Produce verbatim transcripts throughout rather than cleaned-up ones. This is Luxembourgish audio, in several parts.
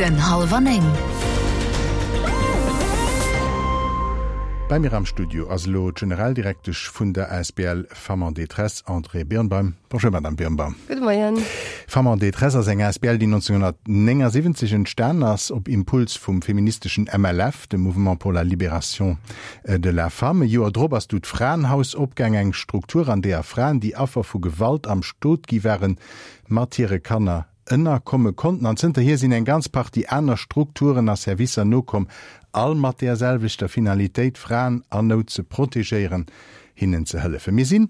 Den Hallwer Néng. Bei mir am Studio ass elo d'Generaldirektesch vun der asbl Femmes en détresse, Andrée Birnbaum. Bonjour Madame Birnbaum. Gudde Moien. Femmes en détresse ass eng asbl, déi nonzénghonnertnéngasiwwenzeg entstan ass, op Impuls vum feministeschen M L F, dem Mouvement pour la libération de la femme. E Joer drop ass du d'Fraenhaus opgaang, eng Struktur, an deeër Fraen, déi Affer vu Gewalt am Stot gi waren, mat hire Kanner ënnerkomme konnten. An zënterhier sinn eng ganz Partie aner Strukturen a Servicer nokomm, all mat där selwechter Finalitéit, Fraen an Nout ze protegéieren, hinnen ze hëllefen. Mir sinn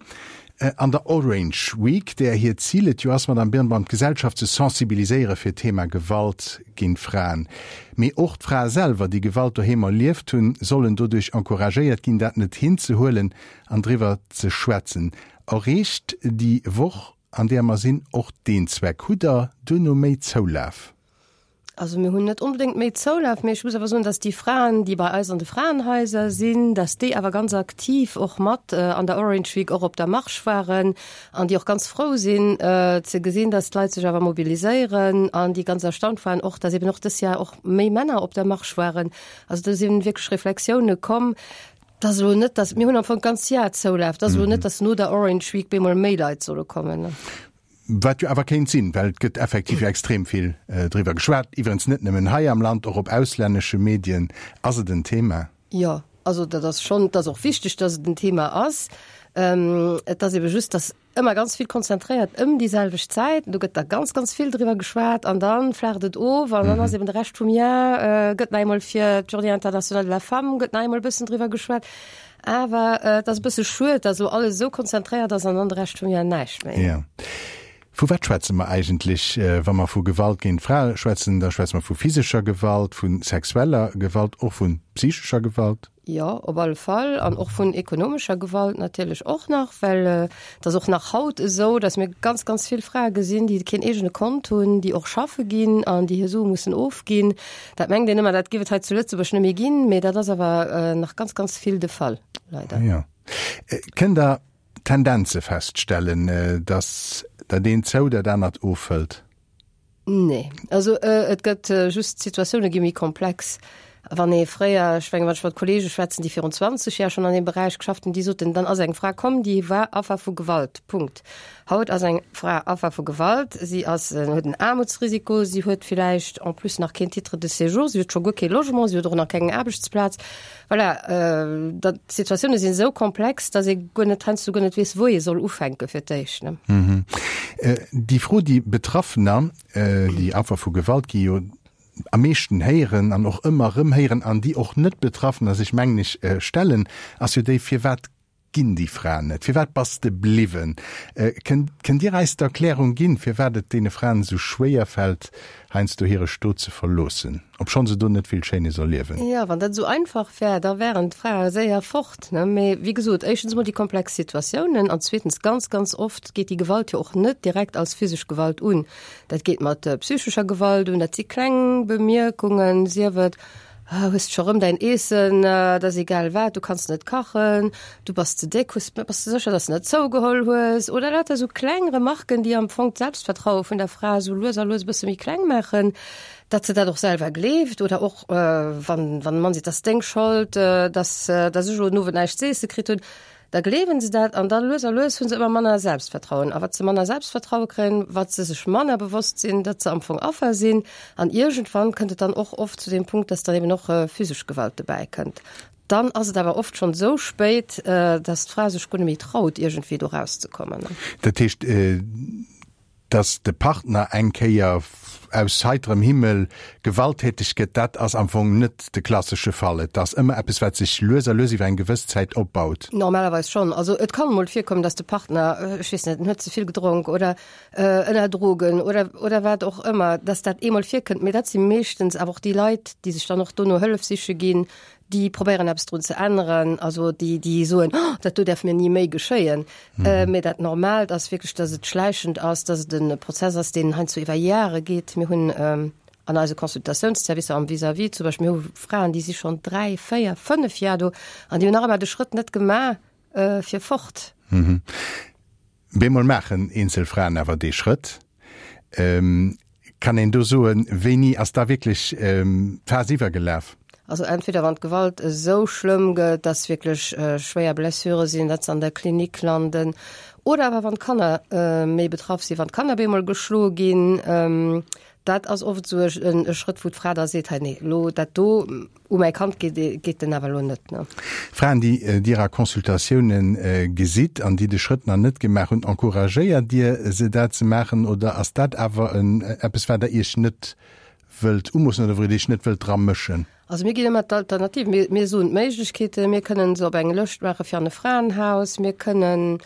an der Orange Week, där hiert Zil et jo ass, Madame Birnbaum, d'Gesellschaft ze sensibiliséiere fir d'Thema Gewalt géint Fraen. Mee och d'Frae selwer, déi Gewalt doheem erlieft hunn, sollen doduerch encouragéiert ginn, dat net hinzehuelen an driwwer ze schwätzen. Erreecht déi Woch, an där mer sinn, och deen Zweck? Hutt Der duerno méi Zoulaf? Also mir hunn net onbedéngt méi Zoulaf, mee ech muss awer soen, dass déi Fraen, déi bei eis an de Fraenhaiser sinn, dass déi awer ganz aktiv och mat an der Orange Week och op der Marsch waren an déi och ganz frou sinn ze gesinn, dass d'Leit sech awer mobiliséieren an déi ganz erstaunt waren och, dass eben och dës Jahr och méi Männer op der Marsch waren. Also do sinn wierklech Reflexioune komm. Dat ass elo net, dass, mir hunn am Fong d'ganz Jahr Zoulaf, dat ass elo net, dass no der Orange Week bemol méi Leit solle kommen. Wat jo awer kéint sinn, well et gëtt effektiv jo extrem vill driwwer geschwat, iwwerens net nëmmen hei am Land, och op auslännesche Medien ass et en Thema. Jo, also dat ass schonn, et ass och wichteg, dass et en Thema ass. Et ass ebe just, dass ëmmer ganz vill konzentréiert ëm déi selwecht Zäit, do gëtt da ganz, ganz vill driwwer geschwat an da flaacht et of an dann ass eben de Rescht vum Jar, gëtt nach eemol fir d'Journée internationale de la femme gëtt nach eemol e bëssen driwwer geschwat. Awer et ass e bësse schued, dass elo alles esou konzentréiert ass an dann de Rescht vum Jar näischt méi. Jo. Vu wat schwätze mer eigentlech, wa mer vu Gewalt géint Frae schwätzen? Da schwätze mer vu physescher Gewalt, vu sexueller Gewalt, och vu psychescher Gewalt. Jo, op alle Fall. An och vun ekonomescher Gewalt natierlech och nach, well et ass och nach haut esou, dass mir ganz, ganz vill Frae gesinn, déi keen eegene Kont hunn, déi och schaffe ginn an déi hir Sue mussen ofginn. Dat mengt een ëmmer, dat géif et hei zu Lëtzebuerg net méi ginn, mee dat ass awer nach ganz, ganz vill de Fall, leider. Jo. Kënnt Der Tendenze feststellen, dass dat eent zou, dat anert ofhëlt? Nee, also et gëtt just, d'Situatioune gi méi komplex. Wann ee fréier, ech mengen, wann ech mat Kollege schwätzen, déi virun zwanzeg Jar schonn an deem Beräich geschafft hunn, déi soten, dann ass eng Fra komm, déi war Affer vu Gewalt, Punkt. Haut ass eng Fra Affer vu Gewalt, si ass, huet en Aarmutsrisiko, si huet villäicht en plus nach keen Titre de séjour, si huet scho guer kee Logement, si huet och nach keng Aarbechtsplaz. Voilà, dat, d'Situatioune sinn esou komplex, datt ee guer net, heiansdo guer net weess, wou ee soll ufänke fir d'éischt, ne. Déi Fro, déi Betraffener, déi Affer vu Gewalt gi jo am meeschten héieren an och ëmmer erëm héieren an déi och net Betraffener sech, mengen ech, stellen, ass jo déi, Firwat ginn déi Fraen net? Firwat bass de bliwwen? Kënnt, kënnt Dir eis d'Erklärung ginn, firwat et deene Fraen esou schwéier fält, heiansdo hire Stot ze verloossen, obschonn se do net vill Schéines erliewen? Jo, wann dat esou einfach wär, da wären d'Frae séier fort, ne? Mee wéi gesot, éischtens emol déi komplex Situatiounen an zweetens, ganz, ganz oft geet déi Gewalt jo och net direkt als physesch Gewalt un. Dat geet mat psychescher Gewalt un, dat si kleng Bemierkungen, sief et, Hues de scho rëm däin Eessen, dat ass egal wat, du kanns net kachen, du bass ze déck, hues, bass de sécher, dass de net zougeholl hues? Oder lauter esou kleng Remarken, déi am Fong d'Selbstvertraue vun der Fra esou lues a lues e bësse méi kleng maachen, datt se dat och selwer gleeft. Oder och wann, wann e Mann seet, dat ass deng Schold, dass, dass ech elo den Owend näischt z'eesse kritt hunn. Da gleewen se dat an da lues a lues hu se ëmmer manner Selbstvertrauen. A wat se manner Selbstvertraue kréien, wat se sech manner bewosst sinn, datt se am Fong Affer sinn. An iergendwann kënnt et dann och oft zu deem Punkt, datt dann eben och physesch Gewalt dobäi kënnt. Dann ass et awer oft schonn esou spéit, datt d'Fra sech guer net méi traut, iergendwéi do rauszekommen. Dat heescht, Dass de Partner eng Kéier aus heiterem Himmel gewalttäteg gëtt, dat ass am Fong net de klassesche Fall. Et ass ëmmer eppes, wat sech lues a lues iwwer eng gewëss Zäit opbaut. Normalerweis schonn. Also et kann emol virkommen, dass de Partner, ech weess net, en huet ze vill gedronk oder ënner Drogen oder oder wat och ëmmer, dass dat eemol virkënnt. Mee dat si meeschtens awer och déi Leit, déi sech dann och dono Hëllef siche ginn, déi probéieren eppes drun ze änneren, also déi déi soen, oh, dat do däerf mir ni méi geschéien. Mee dat Normaalt ass wierklech, datt et schläichend ass, datt et e Prozess ass, deen heiansdo iwwer Jahre geet. Mir hunn an eise Consultatiounsservicer am Vis-à-vis zum Beispill, mir hu Fraen, déi si schonn dräi, véier, fënnef Jar do an déi hunn nach ëmmer de Schrëtt net gemaach fir fort. Bemol maachen eenzel Fraen awer dee Schrëtt. Kann een do soen, wéini ass da wierklech d'Faass iwwergelaf? Also entweder wann d'Gewalt esou schlëmm gëtt, dass wierklech schwéier Blessure sinn, datt se an der Klinik landen, oder awer wann d'Kanner méi betraff sinn, wann d'Kanner bemol geschloe ginn. Dat ass oft esou e Schrëtt, wou d'Fra da seet, hei nee, elo dat do u mäi Kand geet, geet den awer elo net, ne. Fraen, déi Dir a Consultatioune gesitt an déi de Schrëtt nach net gemaach hunn, encouragéiert Dir se dat ze maachen oder ass dat awer eppes, wat Der Iech net wëllt umoossen oder wou Dir Iech net wëllt dra mëschen? Also mir ginn ëmmer d'Alternativ. Mir, mir soen d'Méiglechkeeten, mir kënnen se op eng Lëscht maache fir an e Fraenhaus, mir kënnen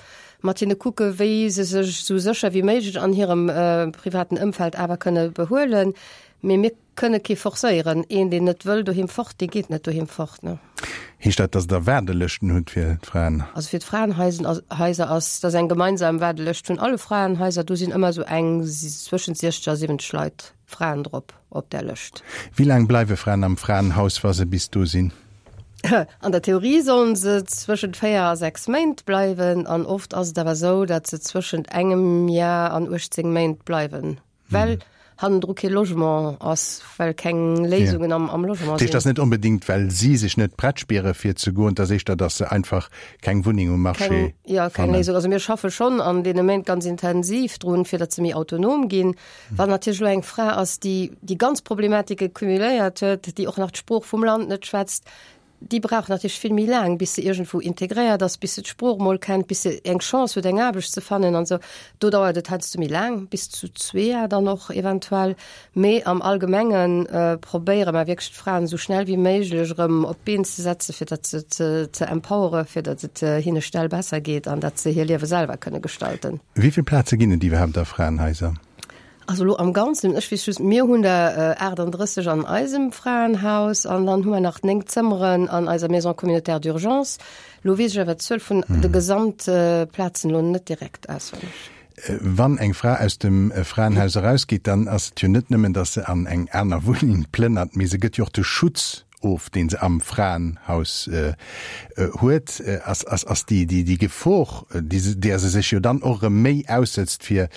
mat hinne kucke wéi se sech esou sécher wéi méiglech an hirem privaten Ëmfeld awer kënne behuelen. Mee mir kënne kee forcéieren. Een, deen net wëll doheem fort, dee geet net doheem fort, ne. Heescht dat, datt Der Waardelëschten hutt fir d'Fraen? Also fir d'Fraenhaiser ass, dat ass eng gemeinsam Waardelëscht vun alle Fraenhaiser. Do sinn ëmmer esou eng zwëschent siechzeg a siwwenzeg Leit, Fraen drop op där Lëscht. Wéi laang bleiwe Fraen am Fraenhaus, wa se bis do sinn? An der Theorie sollen se zwëschent véier a sechs Méint bleiwen an oft ass et awer esou, datt se zwëschent engem Jar an uechtzéng Méint bleiwen, well hannendru kee Logement ass, well keng Léisungen am am Logement Dat heescht, sinn. et ass net onbedéngt, well si sech net prett spiere fir ze goen, et ass éischter, datt se einfach keng Wunneng um Marché Keng, jo, keng fannen. Léisung. Also mir schaffe schonn an deene Méint ganz intensiv drun, fir datt se méi autonom ginn. Wann natierlech elo eng Fra ass, déi déi ganz Problematike cumuléiert huet, déi och nach d'Sprooch vum Land net schwätzt, déi brauch natierlech vill méi laang, bis se iergendwou integréiert ass, bis se d'Sprooch mol kennt, bis se eng Chance huet, eng Aarbecht ze fannen an esou. Do dauert et heiansdo méi laang, bis zu zwee Jar dann och eventuell. Mee am Allgemenge probéiere mer wierklech d'Fraen esou schnell wéi méiglech erëm op d'Been ze setzen, fir datt se ze ze empowere, fir datt et hinne schnell besser geet an datt se hir Liewe selwer kënne gestalten. Wéi vill Plaze ginn et iwwerhaapt a Fraenhaiser? Also elo am Ganzen, ech weess just, mir hunn der aachtanddrësseg an eisem Fraenhaus an dann hu mer nach néng Zëmmeren an eiser Maison communautaire d'urgence. Elo weess ech awer d'Zuel vun de Gesamtplazen elo net direkt auswenneg. Wann eng Fra aus dem Fraenhaus erausgeet, dann ass et jo net nëmmen, datt se an eng aner Wunneng plënnert, mee se gëtt jo och de Schutz of, dee se am Fraenhaus huet. Ass, ass, ass déi, déi, déi Gefor, déi se, där se sech jo dann och erëm méi aussetzt, fir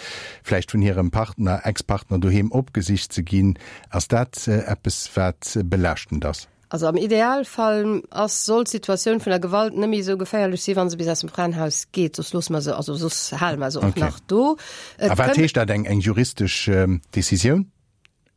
vläicht vun hirem Partner, Ex-Partner doheem opgesicht ze ginn, ass dat eppes, wat belaaschtend ass? Also am Idealfall ass, soll d'Situatioun vun der Gewalt net méi esou geféierlech si wa se bis aus dem Fraenhaus geet, soss loosse mer se, also soss hale mer se och nach do. A wat heescht dat, eng, eng juristesch Decisioun?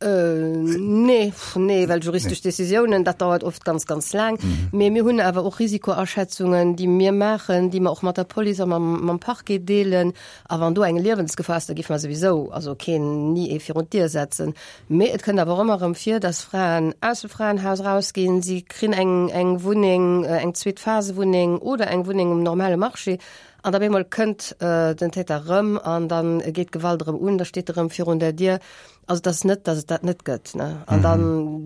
Nee, nee, well juristesch Decisiounen, dat dauert oft ganz, ganz laang. Mee mir hunn awer och Risikoaschätzungen, déi mir maachen, déi mer och mat der Police a mam, mam Parquet deelen. A wann do eng Liewensgefahr ass, da géife mer souwisou also keen, ni ee virun d'Dier setzen. Mee et kënnt awer och ëmmer erëm vir, dass Fraen aus dem Fraenhaus erausginn, si kréien eng, eng Wunneng, eng Zweet-Phase-Wunneng oder eng Wunneng um normale Marché an da bemol kënnt den Täter erëm an da geet d'Gewalt erëm un, da steet e erëm virun der Dier. Also et ass net, datt et dat net gëtt, ne. An da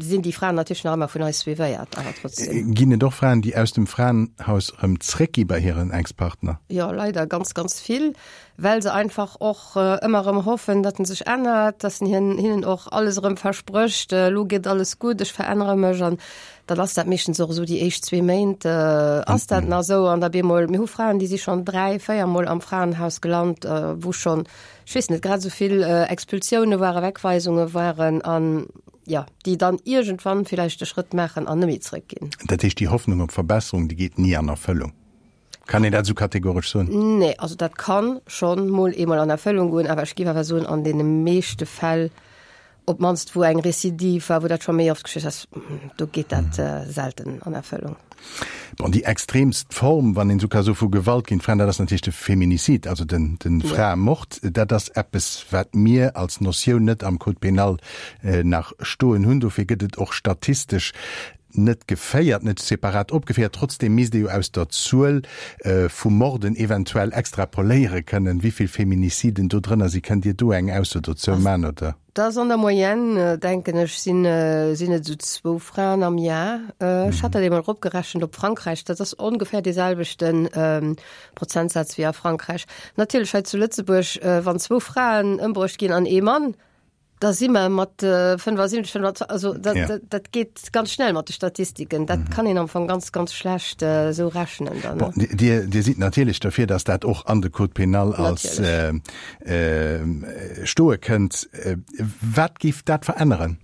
sinn déi Fraen natierlech nach ëmmer vun eis suivéiert, awer trotzdem. Ginn et och Fraen, déi aus dem Fraenhaus erëm zréckgi bei hiren Ex-Partner? Jo, leider ganz, ganz vill, well se einfach och ëmmer erëm hoffen, datt en sech ännert, datt en hien, hinnen och alles erëm versprécht, elo geet alles gutt, ech verännere mech. An dann ass dat meeschtens och esou, déi éischt zwee Méint ass dat nach esou an da bemol, mir hu Fraen, déi si schonn dräi, véier Mol am Fraenhaus gelant, wou schonn, ech weess net, grad esou vill Expulsioune waren, Wegweisunge waren an, jo, déi dann iergendwann villäicht de Schrëtt maachen an net méi zrëckginn. Dat heescht, déi Hoffnung op Verbesserung, déi geet ni an Erfëllung? Kann een dat esou kategoresch soen? Nee, also dat ka schonn mol eemol an Erfëllung goen, awer ech géif awer soen, an deene meeschte Fäll, op d'mannst wou eng Recidive war, wou dat scho méi oft geschitt ass, do geet dat selten an Erfëllung. Bon, déi extremst Form, wann een esou ka soe vu Gewalt géint Fraen, dat ass natierlech de Féminicide, also den, den Fraemord. Dat ass eppes, wat mir als Notioun net am Code pénal nach stoen hunn. Dofir gëtt et och statistesch net geféiert, net separat opgeféiert. Trotzdeem misst ee jo aus der Zuel vu Morden eventuell extrapoléiere kënnen, wéi vill Feminiciden do drënner sinn. Kënnt Dir do eng Ausso dozou man, oder? Dat ass an der Moyenne, denken ech, sinn sinn et esou zwou Fraen am Jar. Ech hat dat eemol eropgerechent op Frankräich, dat ass ongeféier dee selwechte Prozentsaz wéi a Frankräich. Natierlech hei zu Lëtzebuerg, wann zwou Fraen ëmbruecht ginn an ee Mann, Da si mer mat fënnefasiwwenzeg, fënnefazwanzeg, also dat, ja. dat, dat geet ganz schnell mat de Statistiken. Dat mhm. kann een am Fong ganz, ganz schlecht äh, sou rechnen dann. Bon, Dir, Dir sidd natierlech dofir, dass dat och an de Code pénal als äh, äh, stoe kënnt. Äh, wat géif dat veränneren?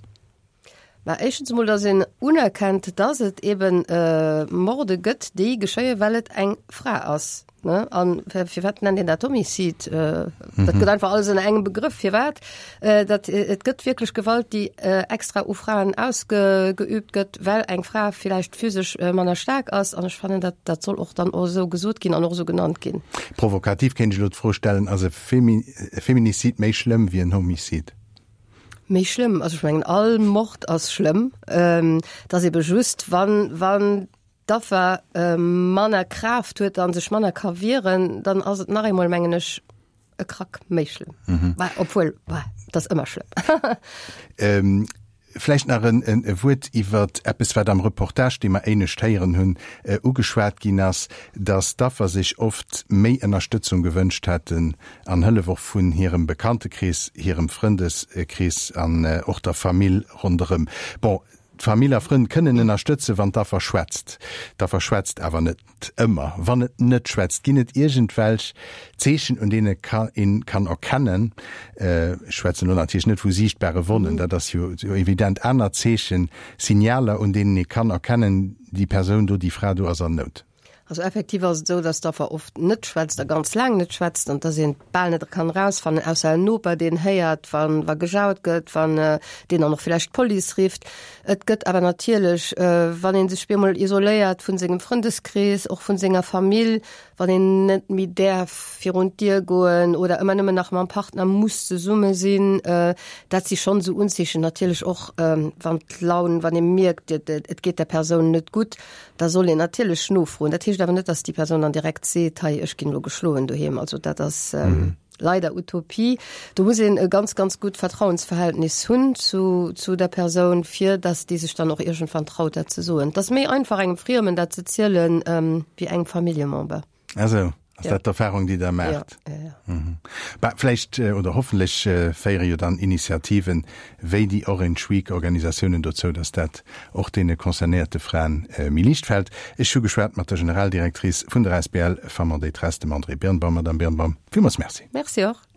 Mä éischtens emol, dass een unerkennt, dass et eben äh, Morde gëtt, déi geschéien, well et eng Fra ass. Ne? An firwat nennt een dat Homicide? Äh, mhm. Dat gëtt einfach alles ënner engem Begrëff. Firwat? Äh, dat, et gëtt wierklech Gewalt, déi äh, extra u Fraen ausgeübt gëtt, well eng Fra vläicht physesch äh, manner staark ass. An ech fannen, dat, dat soll och dann och sou gesot ginn an och sou genannt ginn. Provokativ kéint ech elo d'Fro stellen, ass e Femi Feminicide méi schlëmm wéi en Homicide? Méi schlëmm, also ech mengen all Mord ass schlëmm, ähm, et ass ebe just wann wann d'Affer äh, manner Kraaft huet an sech manner ka wieren, dann ass et nach eemol mengen ech e Krack méi schlëmm. Mhm. Bah, obwuel bah, dat ass ëmmer schlëmm. ähm, Vläicht nach en, en, e Wuert iwwer eppes, wat am Reportage, dee mer éinescht héieren hunn, äh, ugeschwat ginn ass, dass d'Affer sech oft méi Ënnerstëtzung gewënscht hätten an Hëllef och vun hirem Bekanntekrees, hirem Frëndeskrees an äh, och der Famill ronderëm. Bon, d'Famill a Frënn kënnen ënnerstëtzen, wann d'Affer schwätzt. D'Affer schwätzt awer net ëmmer. Wann et net schwätzt, ginn et iergendwelch Zeechen, un deene een kann erkennen, ech schwätzen elo natierlech net vu siichtbare Wonnen, dat ass jo evident, aner Zeechen, Signaler, un deenen ee kann erkennen, déi Persoun do, déi Fra do ass an Nout. Also effektiv ass et esou, dass d'Affer oft net schwätzt a ganz laang net schwätzt an dass een et bal net kann erausfannen, ausser en Noper, deen héiert, wann wa gejaut gëtt, wann deen dann och vläicht d'Police rifft. Et gëtt awer natierlech, wann ee sech bemol isoléiert vun sengem Frëndeskrees, och vun senger Famill, wann een net méi däerf virun d'Dier goen oder ëmmer nëmmen nach mam Partner muss zesumme sinn, dat si schonn esou Unzeechen. Natierlech och wann d'Laun, wann ee mierkt, et geet der Persoun net gutt, Da soll een natierlech nofroen. Dat heescht awer net, dass déi Persoun dann direkt seet, hei ech ginn elo geschloen doheem. Also dat ass ähm, leider Utopie. Do muss een e ganz, ganz gutt Vertrauensverhältnis hunn zu, zu der Persoun, fir dass déi sech dann och iergendwann traut dat ze soen. Et ass méi einfach engem Friemen dat ze zielen, ähm, wéi engem Familljemember. Also. Ass dat d'Erfahrung, déi Der maacht? Ja, ja, ja. Mhm. Bah, vläicht oder hoffentlech féiere jo dann Initiativen wéi déi Orange Week Organisatiounen dozou, dass dat och deene concernéierte Fraen méi liicht fält. Ech hu geschwat mat der Generaldirectrice vun der asbl Femmes en détresse, dem Andrée Birnbaum. Madame Birnbaum, villmools Merci. Merci och.